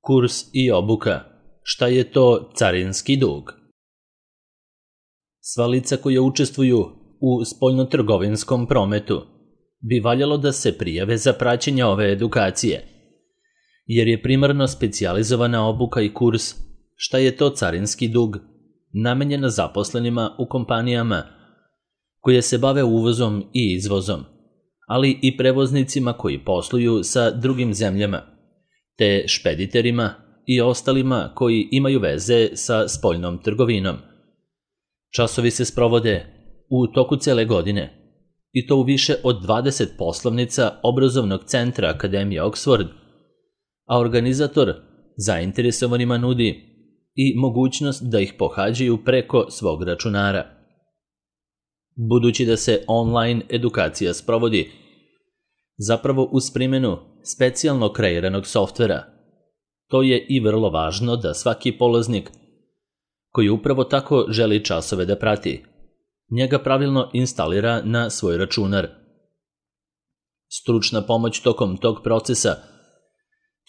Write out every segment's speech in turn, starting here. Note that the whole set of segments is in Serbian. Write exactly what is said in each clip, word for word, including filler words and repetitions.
Kurs i obuka. Šta je to carinski dug? Sva lica koja učestvuju u spoljnotrgovinskom prometu bi valjalo da se prijave za praćenje ove edukacije, jer je primarno specijalizovana obuka i kurs šta je to carinski dug namenjena zaposlenima u kompanijama koje se bave uvozom i izvozom, ali i prevoznicima koji posluju sa drugim zemljama, te špediterima i ostalima koji imaju veze sa spoljnom trgovinom. Časovi se sprovode u toku cele godine, i to u više od dvadeset poslovnica obrazovnog centra Akademije Oxford, a organizator zainteresovanima nudi i mogućnost da ih pohađaju preko svog računara. Budući da se online edukacija sprovodi zapravo uz primjenu specijalno kreiranog softvera, to je i vrlo važno da svaki polaznik koji upravo tako želi časove da prati, njega pravilno instalira na svoj računar. Stručna pomoć tokom tog procesa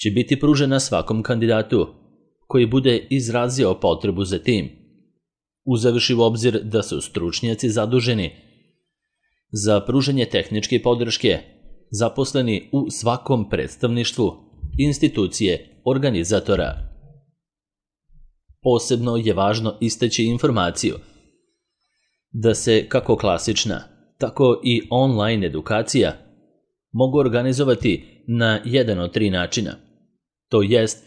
će biti pružena svakom kandidatu koji bude izrazio potrebu za tim, uzevši u obzir da su stručnjaci zaduženi za pružanje tehničke podrške zaposleni u svakom predstavništvu institucije organizatora. Posebno je važno istaći informaciju da se kako klasična, tako i online edukacija mogu organizovati na jedan od tri načina, to jest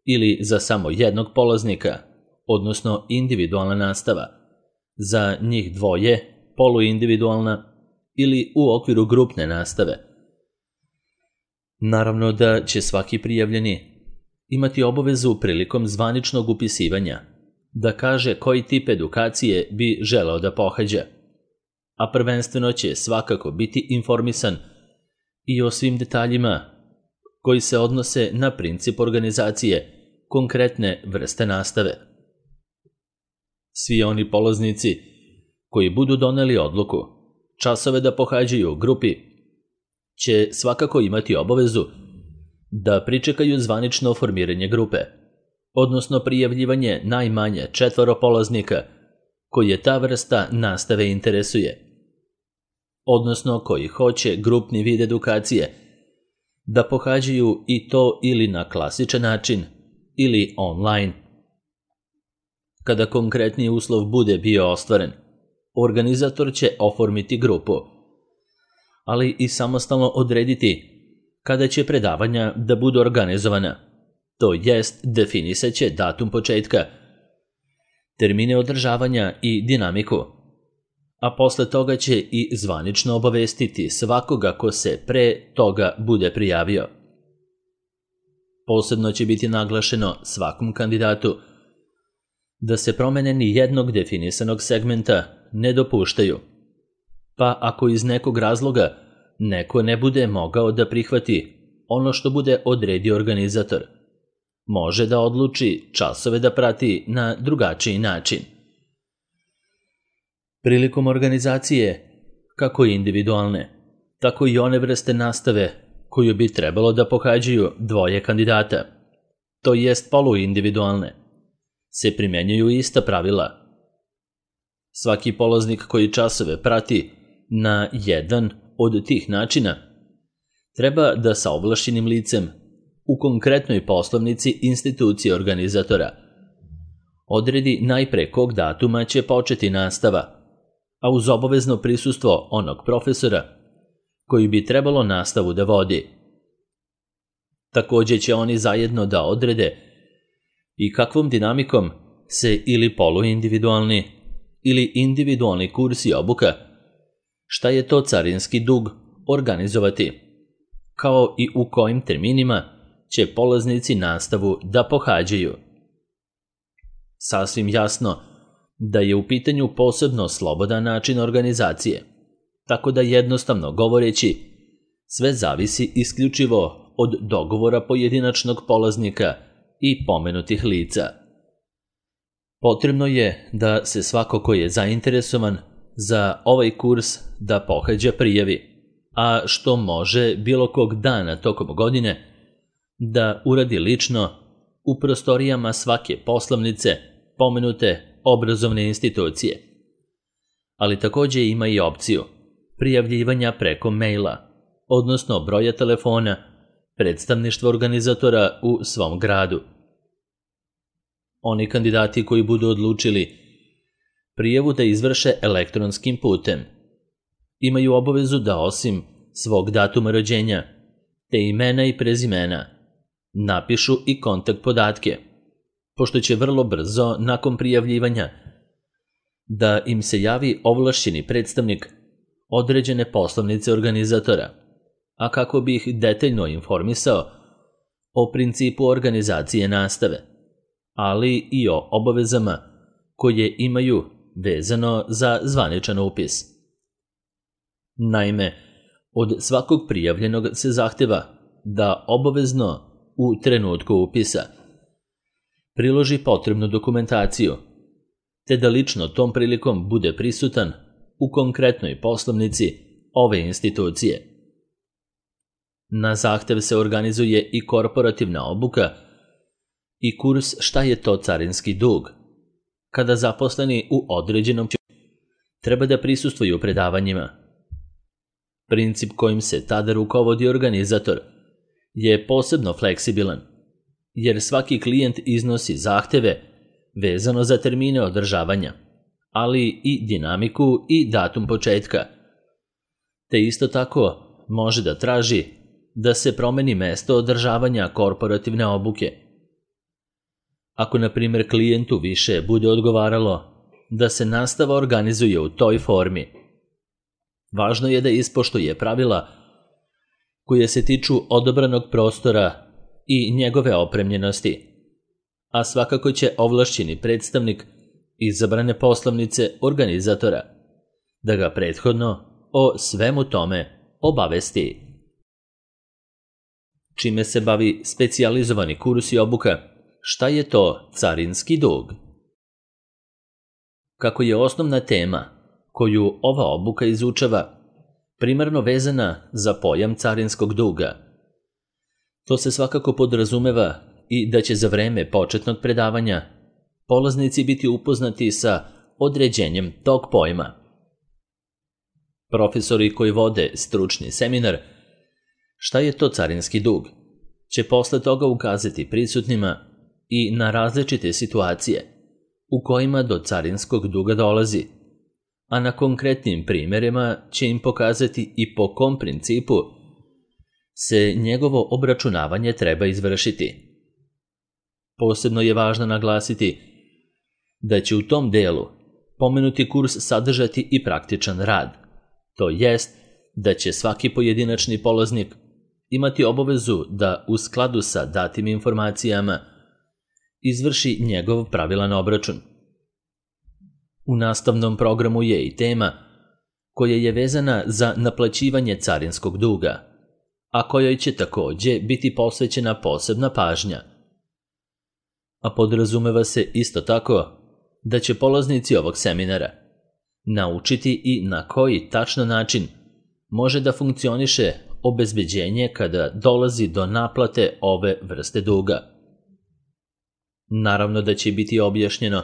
ili za samo jednog polaznika, odnosno individualna nastava, za njih dvoje, poluindividualna, ili u okviru grupne nastave. Naravno da će svaki prijavljeni imati obavezu prilikom zvaničnog upisivanja da kaže koji tip edukacije bi želeo da pohađa, a prvenstveno će svakako biti informisan i o svim detaljima koji se odnose na princip organizacije konkretne vrste nastave. Svi oni polaznici koji budu doneli odluku časove da pohađaju u grupi će svakako imati obavezu da pričekaju zvanično formiranje grupe, odnosno prijavljivanje najmanje četvoro polaznika koje ta vrsta nastave interesuje, odnosno koji hoće grupni vid edukacije da pohađaju i to ili na klasičan način ili online. Kada konkretni uslov bude bio ostvaren, organizator će oformiti grupu, ali i samostalno odrediti kada će predavanja da budu organizovana, to jest definisat će datum početka, termine održavanja i dinamiku, a posle toga će i zvanično obavestiti svakoga ko se pre toga bude prijavio. Posebno će biti naglašeno svakom kandidatu da se promene ni jednog definisanog segmenta ne dopuštaju, pa ako iz nekog razloga neko ne bude mogao da prihvati ono što bude odredio organizator, može da odluči časove da prati na drugačiji način. Prilikom organizacije, kako individualne, tako i one vrste nastave koju bi trebalo da pohađaju dvoje kandidata, to jest poluindividualne, se primjenjuju ista pravila. Svaki polaznik koji časove prati na jedan od tih načina treba da sa ovlašćenim licem u konkretnoj poslovnici institucije organizatora odredi najpre kog datuma će početi nastava, a uz obavezno prisustvo onog profesora koji bi trebalo nastavu da vodi. Takođe će oni zajedno da odrede i kakvom dinamikom se ili poluindividualni ili individualni kurs i obuka, šta je to carinski dug, organizovati, kao i u kojim terminima će polaznici nastavu da pohađaju. Sasvim jasno da je u pitanju posebno slobodan način organizacije, tako da jednostavno govoreći, sve zavisi isključivo od dogovora pojedinačnog polaznika i pomenutih lica. Potrebno je da se svako ko je zainteresovan za ovaj kurs da pohađa prijavi, a što može bilo kog dana tokom godine da uradi lično u prostorijama svake poslovnice pomenute obrazovne institucije. Ali također ima i opciju prijavljivanja preko maila, odnosno broja telefona predstavništva organizatora u svom gradu. Oni kandidati koji budu odlučili prijavu da izvrše elektronskim putem imaju obavezu da osim svog datuma rođenja, te imena i prezimena, napišu i kontakt podatke, pošto će vrlo brzo nakon prijavljivanja da im se javi ovlašćeni predstavnik određene poslovnice organizatora, a kako bi ih detaljno informisao o principu organizacije nastave, ali i o obavezama koje imaju vezano za zvaničan upis. Naime, od svakog prijavljenog se zahteva da obavezno u trenutku upisa priloži potrebnu dokumentaciju, te da lično tom prilikom bude prisutan u konkretnoj poslovnici ove institucije. Na zahtev se organizuje i korporativna obuka i kurs šta je to carinski dug, kada zaposleni u određenom treba da prisustvuju predavanjima. Princip kojim se tada rukovodi organizator je posebno fleksibilan, jer svaki klijent iznosi zahteve vezano za termine održavanja, ali i dinamiku i datum početka. Te isto tako može da traži da se promeni mesto održavanja korporativne obuke. Ako, na primjer, klijentu više bude odgovaralo da se nastava organizuje u toj formi, važno je da ispoštuje pravila koje se tiču odabranog prostora i njegove opremljenosti, a svakako će ovlašćeni predstavnik izabrane poslovnice organizatora da ga prethodno o svemu tome obavesti. Čime se bavi specijalizovani kurs i obuka, šta je to carinski dug? Kako je osnovna tema koju ova obuka izučava primarno vezana za pojam carinskog duga, to se svakako podrazumeva i da će za vreme početnog predavanja polaznici biti upoznati sa određenjem tog pojma. Profesori koji vode stručni seminar šta je to carinski dug će posle toga ukazati prisutnima i na različite situacije u kojima do carinskog duga dolazi, a na konkretnim primjerima će im pokazati i po kom principu se njegovo obračunavanje treba izvršiti. Posebno je važno naglasiti da će u tom delu pomenuti kurs sadržati i praktičan rad, to jest da će svaki pojedinačni polaznik imati obavezu da u skladu sa datim informacijama izvrši njegov pravilan obračun. U nastavnom programu je i tema koja je vezana za naplaćivanje carinskog duga, a kojoj će također biti posvećena posebna pažnja. A podrazumeva se isto tako da će polaznici ovog seminara naučiti i na koji tačno način može da funkcioniše obezbeđenje kada dolazi do naplate ove vrste duga. Naravno da će biti objašnjeno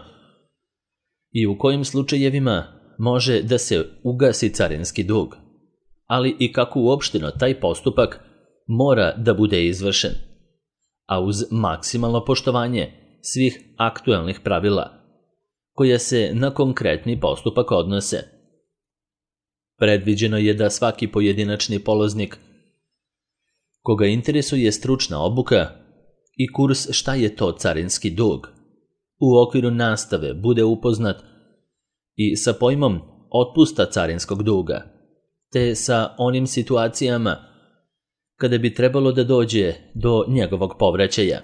i u kojim slučajevima može da se ugasi carinski dug, ali i kako uopšteno taj postupak mora da bude izvršen, a uz maksimalno poštovanje svih aktuelnih pravila koja se na konkretni postupak odnose. Predviđeno je da svaki pojedinačni polaznik koga interesuje stručna obuka i kurs šta je to carinski dug u okviru nastave bude upoznat i sa pojmom otpusta carinskog duga, te sa onim situacijama kada bi trebalo da dođe do njegovog povraćaja.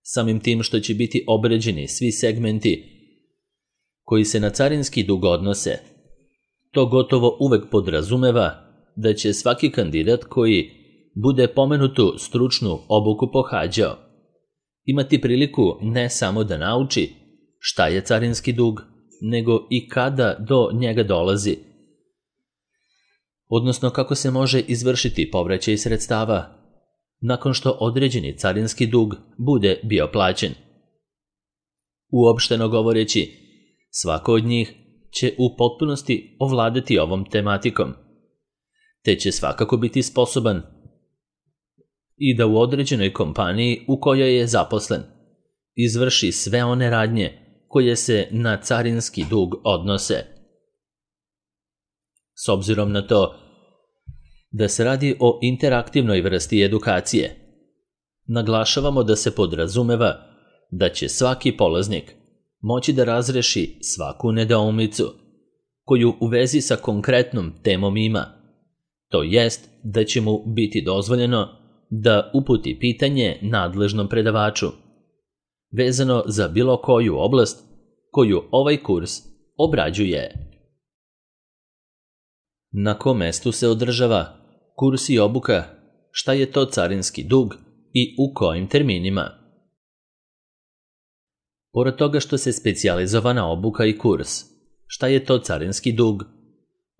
Samim tim što će biti obrađeni svi segmenti koji se na carinski dug odnose, to gotovo uvek podrazumeva da će svaki kandidat koji bude pomenutu stručnu obuku pohađao imati priliku ne samo da nauči šta je carinski dug, nego i kada do njega dolazi, odnosno kako se može izvršiti povraćaj sredstava, nakon što određeni carinski dug bude bio plaćen. Uopšteno govoreći, svako od njih će u potpunosti ovladati ovom tematikom, te će svakako biti sposoban i da u određenoj kompaniji u kojoj je zaposlen izvrši sve one radnje koje se na carinski dug odnose. S obzirom na to da se radi o interaktivnoj vrsti edukacije, naglašavamo da se podrazumeva da će svaki polaznik moći da razreši svaku nedoumicu koju u vezi sa konkretnom temom ima, to jest da će mu biti dozvoljeno da uputi pitanje nadležnom predavaču vezano za bilo koju oblast koju ovaj kurs obrađuje. Na kom mestu se održava kurs i obuka, šta je to carinski dug i u kojim terminima? Pored toga što se specijalizovana obuka i kurs, šta je to carinski dug,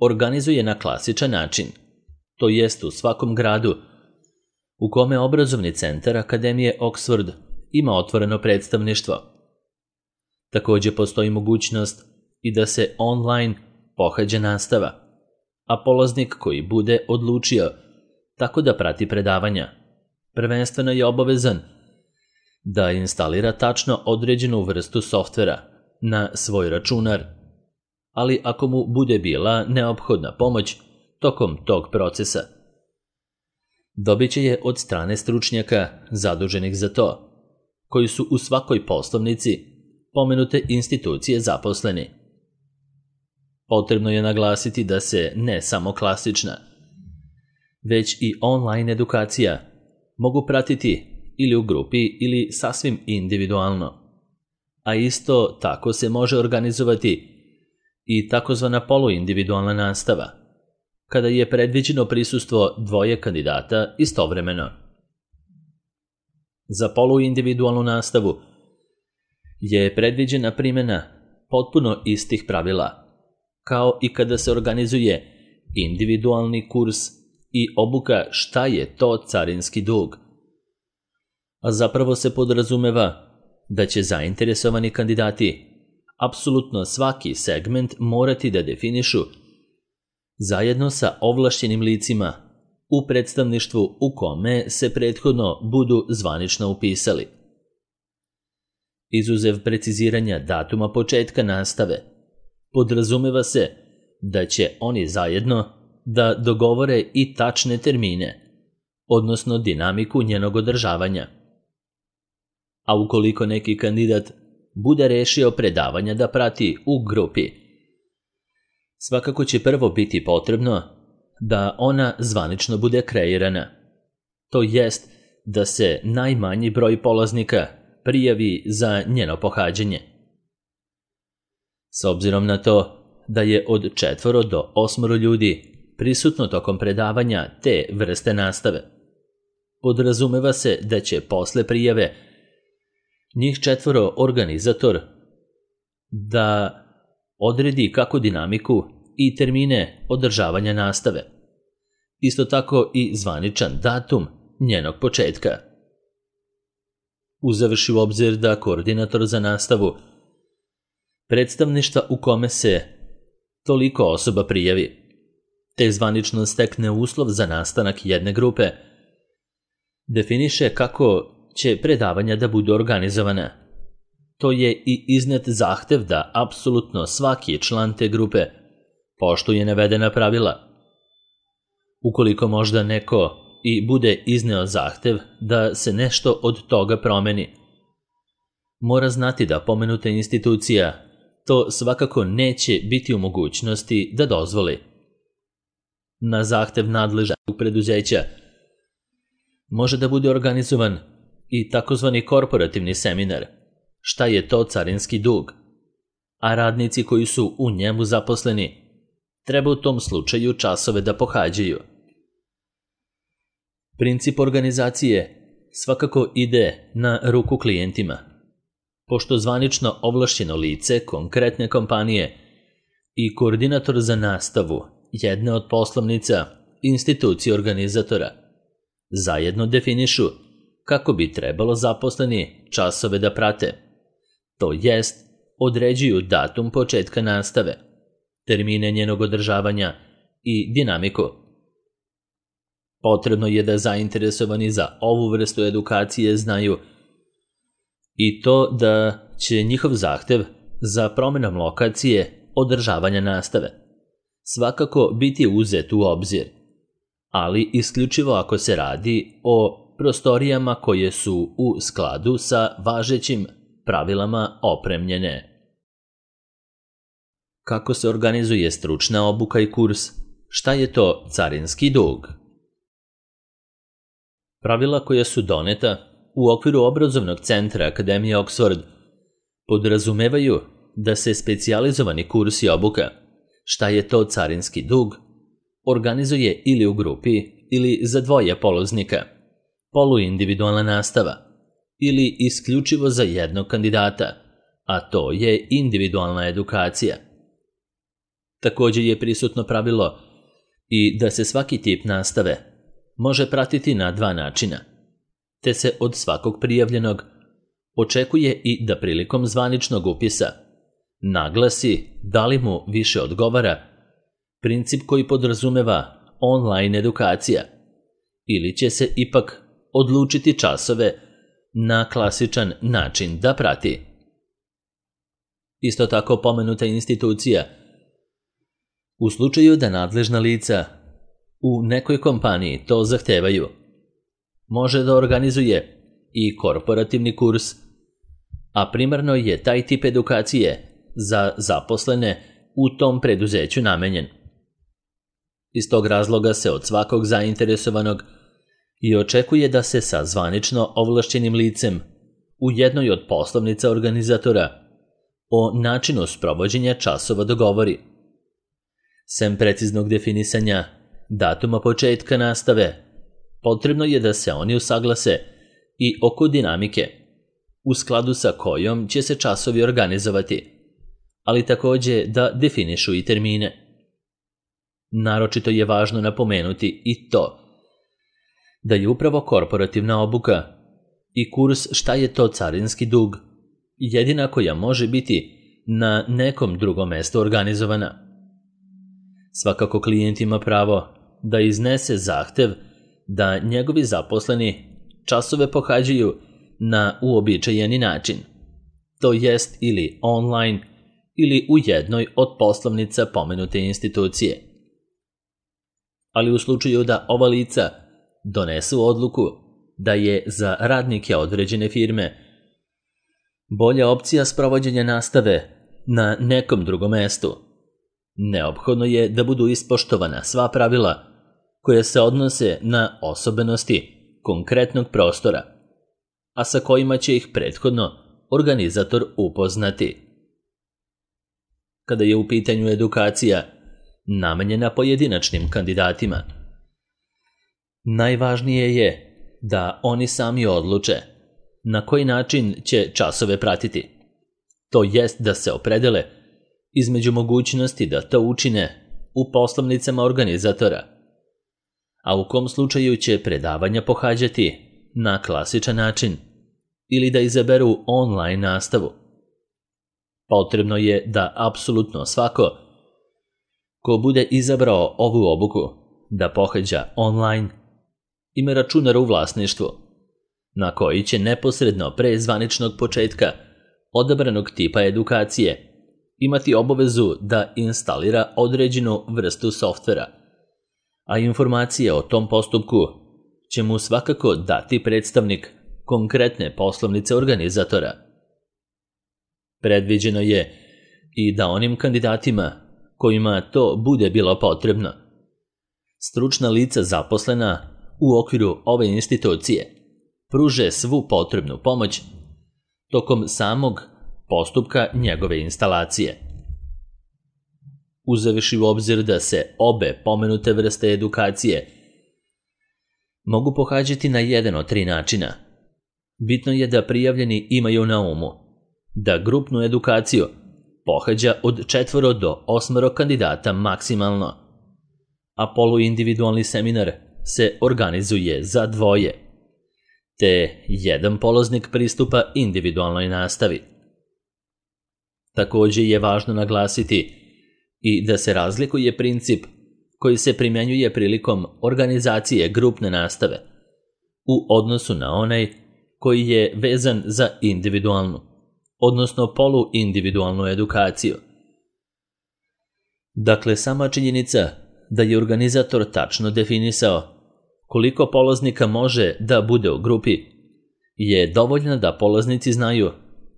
organizuje na klasičan način, to jest u svakom gradu u kome obrazovni centar Akademije Oxford ima otvoreno predstavništvo. Također postoji mogućnost i da se online pohađa nastava, a polaznik koji bude odlučio tako da prati predavanja, prvenstveno je obavezan da instalira tačno određenu vrstu softvera na svoj računar, ali ako mu bude bila neophodna pomoć tokom tog procesa, dobit će je od strane stručnjaka zaduženih za to, koji su u svakoj poslovnici pomenute institucije zaposleni. Potrebno je naglasiti da se ne samo klasična, već i online edukacija mogu pratiti ili u grupi ili sasvim individualno, a isto tako se može organizovati i takozvana poluindividualna nastava, kada je predviđeno prisustvo dvoje kandidata istovremeno. Za poluindividualnu nastavu je predviđena primjena potpuno istih pravila, kao i kada se organizuje individualni kurs i obuka šta je to carinski dug. A zapravo se podrazumeva da će zainteresovani kandidati apsolutno svaki segment morati da definišu zajedno sa ovlašćenim licima u predstavništvu u kome se prethodno budu zvanično upisali. Izuzev preciziranja datuma početka nastave, podrazumeva se da će oni zajedno da dogovore i tačne termine, odnosno dinamiku njenog održavanja. A ukoliko neki kandidat bude rešio predavanja da prati u grupi, svakako će prvo biti potrebno da ona zvanično bude kreirana, to jest da se najmanji broj polaznika prijavi za njeno pohađanje. S obzirom na to da je od četvoro do osmoro ljudi prisutno tokom predavanja te vrste nastave, podrazumeva se da će posle prijave njih četvoro organizator da odredi kako dinamiku i termine održavanja nastave, isto tako i zvaničan datum njenog početka. Uzevši u obzir da koordinator za nastavu predstavništva u kome se toliko osoba prijavi, te zvanično stekne uslov za nastanak jedne grupe, definiše kako će predavanja da budu organizovana. To je i iznet zahtev da apsolutno svaki član te grupe poštuje navedena pravila. Ukoliko možda neko i bude izneo zahtev da se nešto od toga promeni, mora znati da pomenuta institucija to svakako neće biti u mogućnosti da dozvoli. Na zahtev nadležnog preduzeća može da bude organizovan i takozvani korporativni seminar, šta je to carinski dug, a radnici koji su u njemu zaposleni treba u tom slučaju časove da pohađaju. Princip organizacije svakako ide na ruku klijentima, pošto zvanično ovlašćeno lice konkretne kompanije i koordinator za nastavu jedne od poslovnica institucije organizatora zajedno definišu kako bi trebalo zaposleni časove da prate, to jest određuju datum početka nastave, termine njenog održavanja i dinamiku. Potrebno je da zainteresovani za ovu vrstu edukacije znaju i to da će njihov zahtev za promjenom lokacije održavanja nastave svakako biti uzet u obzir, ali isključivo ako se radi o prostorijama koje su u skladu sa važećim pravilama opremljene. Kako se organizuje stručna obuka i kurs? Šta je to carinski dug? Pravila koja su doneta u okviru obrazovnog centra Akademije Oxford podrazumevaju da se specijalizovani kurs i obuka, šta je to carinski dug, organizuje ili u grupi ili za dvoje polaznika, poluindividualna nastava, ili isključivo za jednog kandidata, a to je individualna edukacija. Također je prisutno pravilo i da se svaki tip nastave može pratiti na dva načina, te se od svakog prijavljenog očekuje i da prilikom zvaničnog upisa naglasi da li mu više odgovara princip koji podrazumeva online edukacija ili će se ipak odlučiti časove na klasičan način da prati. Isto tako pomenuta institucija, u slučaju da nadležna lica u nekoj kompaniji to zahtevaju, može da organizuje i korporativni kurs, a primarno je taj tip edukacije za zaposlene u tom preduzeću namenjen. Iz tog razloga se od svakog zainteresovanog i očekuje da se sa zvanično ovlašćenim licem u jednoj od poslovnica organizatora o načinu sprovođenja časova dogovori. Sem preciznog definisanja datuma početka nastave, potrebno je da se oni usaglase i oko dinamike, u skladu sa kojom će se časovi organizovati, ali također da definišu i termine. Naročito je važno napomenuti i to da je upravo korporativna obuka i kurs šta je to carinski dug jedina koja može biti na nekom drugom mjestu organizovana. Svakako klijent ima pravo da iznese zahtev da njegovi zaposleni časove pohađaju na uobičajeni način, to jest ili online ili u jednoj od poslovnica pomenute institucije. Ali u slučaju da ova lica donesu odluku da je za radnike određene firme bolja opcija sprovođenja nastave na nekom drugom mjestu, neophodno je da budu ispoštovana sva pravila koja se odnose na osobenosti konkretnog prostora, a sa kojima će ih prethodno organizator upoznati. Kada je u pitanju edukacija namenjena pojedinačnim kandidatima, najvažnije je da oni sami odluče na koji način će časove pratiti, to jest da se opredele između mogućnosti da to učine u poslovnicama organizatora, a u kom slučaju će predavanja pohađati na klasičan način ili da izaberu online nastavu. Potrebno je da apsolutno svako ko bude izabrao ovu obuku da pohađa online ima računar u vlasništvu, na koji će neposredno pre zvaničnog početka odabranog tipa edukacije imati obavezu da instalira određenu vrstu softvera, a informacije o tom postupku će mu svakako dati predstavnik konkretne poslovnice organizatora. Predviđeno je i da onim kandidatima kojima to bude bilo potrebno, stručna lica zaposlena u okviru ove institucije pruže svu potrebnu pomoć tokom samog postupka njegove instalacije. Uzevši u obzir da se obe pomenute vrste edukacije mogu pohađati na jedan od tri načina, bitno je da prijavljeni imaju na umu da grupnu edukaciju pohađa od četvoro do osmoro kandidata maksimalno, a poluindividualni seminar se organizuje za dvoje, te jedan polaznik pristupa individualnoj nastavi. Također je važno naglasiti i da se razlikuje princip koji se primjenjuje prilikom organizacije grupne nastave u odnosu na onaj koji je vezan za individualnu, odnosno poluindividualnu edukaciju. Dakle, sama činjenica da je organizator tačno definisao koliko polaznika može da bude u grupi je dovoljna da polaznici znaju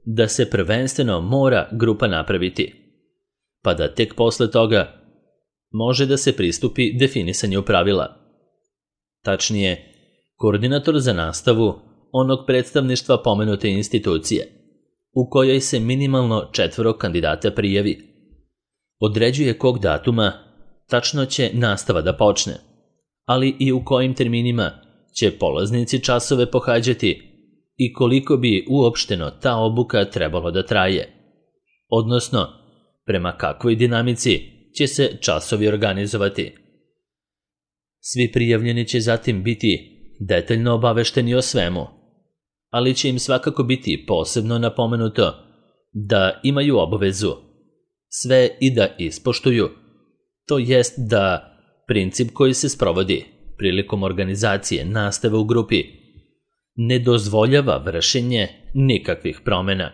da se prvenstveno mora grupa napraviti, pa da tek posle toga može da se pristupi definisanju pravila. Tačnije, koordinator za nastavu onog predstavništva pomenute institucije, u kojoj se minimalno četvoro kandidata prijavi, određuje kog datuma tačno će nastava da počne, ali i u kojim terminima će polaznici časove pohađati i koliko bi uopšteno ta obuka trebalo da traje, odnosno prema kakvoj dinamici će se časovi organizovati. Svi prijavljeni će zatim biti detaljno obavešteni o svemu, ali će im svakako biti posebno napomenuto da imaju obavezu sve i da ispoštuju, to jest da princip koji se sprovodi prilikom organizacije nastave u grupi ne dozvoljava vršenje nikakvih promjena.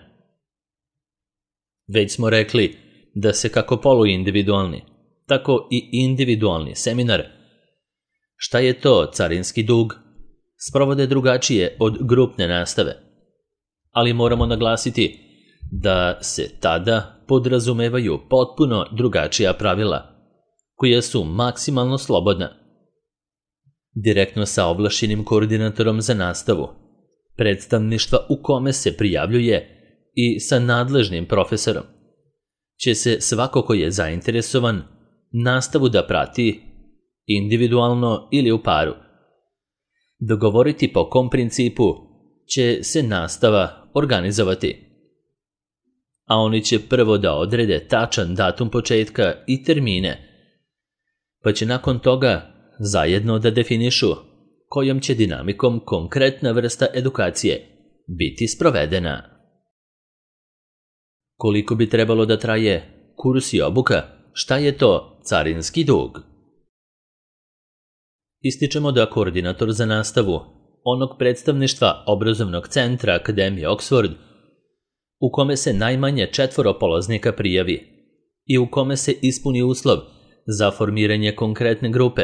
Već smo rekli da se kako poluindividualni, tako i individualni seminar, šta je to carinski dug, sprovode drugačije od grupne nastave, ali moramo naglasiti da se tada podrazumevaju potpuno drugačija pravila, koja su maksimalno slobodna. Direktno sa ovlašćenim koordinatorom za nastavu, predstavništva u kome se prijavljuje i sa nadležnim profesorom, će se svako ko je zainteresovan nastavu da prati individualno ili u paru, dogovoriti po kom principu će se nastava organizovati. A oni će prvo da odrede tačan datum početka i termine, pa će nakon toga zajedno da definišu kojom će dinamikom konkretna vrsta edukacije biti sprovedena. Koliko bi trebalo da traje kurs i obuka, šta je to carinski dug? Ističemo da koordinator za nastavu onog predstavništva obrazovnog centra Akademije Oxford, u kome se najmanje četvoro polaznika prijavi i u kome se ispuni uslov za formiranje konkretne grupe,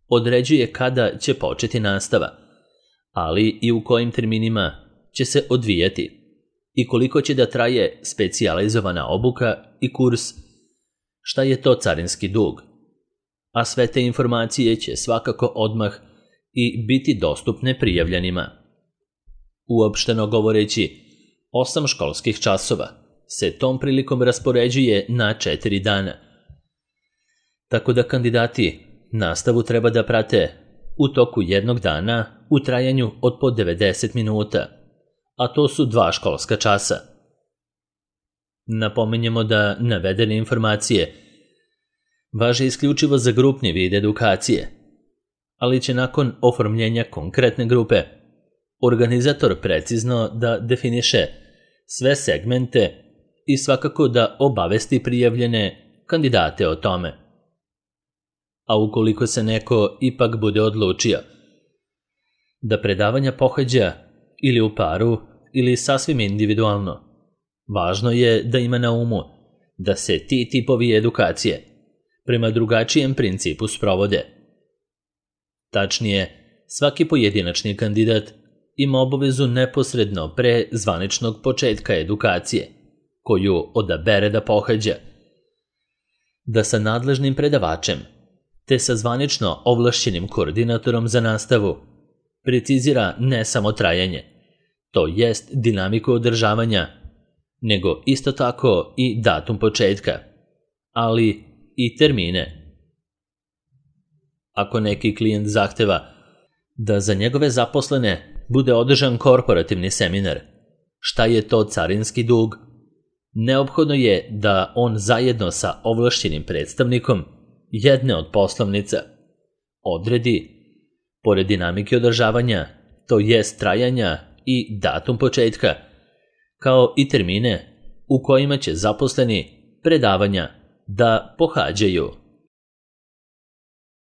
određuje kada će početi nastava, ali i u kojim terminima će se odvijati i koliko će da traje specijalizovana obuka i kurs, šta je to carinski dug, a sve te informacije će svakako odmah i biti dostupne prijavljenima. Uopšteno govoreći, osam školskih časova se tom prilikom raspoređuje na četiri dana, tako da kandidati nastavu treba da prate u toku jednog dana u trajanju od po devedeset minuta, a to su dva školska časa. Napominjemo da navedene informacije važe isključivo za grupni vid edukacije, ali će nakon oformljenja konkretne grupe organizator precizno da definiše sve segmente i svakako da obavesti prijavljene kandidate o tome. A ukoliko se neko ipak bude odlučio da predavanja pohađa ili u paru ili sasvim individualno, važno je da ima na umu da se ti tipovi edukacije prema drugačijem principu sprovode. Tačnije, svaki pojedinačni kandidat ima obavezu neposredno pre zvaničnog početka edukacije, koju odabere da pohađa, da sa nadležnim predavačem te sa zvanično ovlašćenim koordinatorom za nastavu precizira ne samo trajanje, to jest dinamiku održavanja, nego isto tako i datum početka, ali i termine. Ako neki klijent zahteva da za njegove zaposlene bude održan korporativni seminar, šta je to carinski dug, neophodno je da on zajedno sa ovlašćenim predstavnikom jedne od poslovnica odredi pored dinamike održavanja, to jest trajanja i datum početka, kao i termine u kojima će zaposleni predavanja da pohađaju.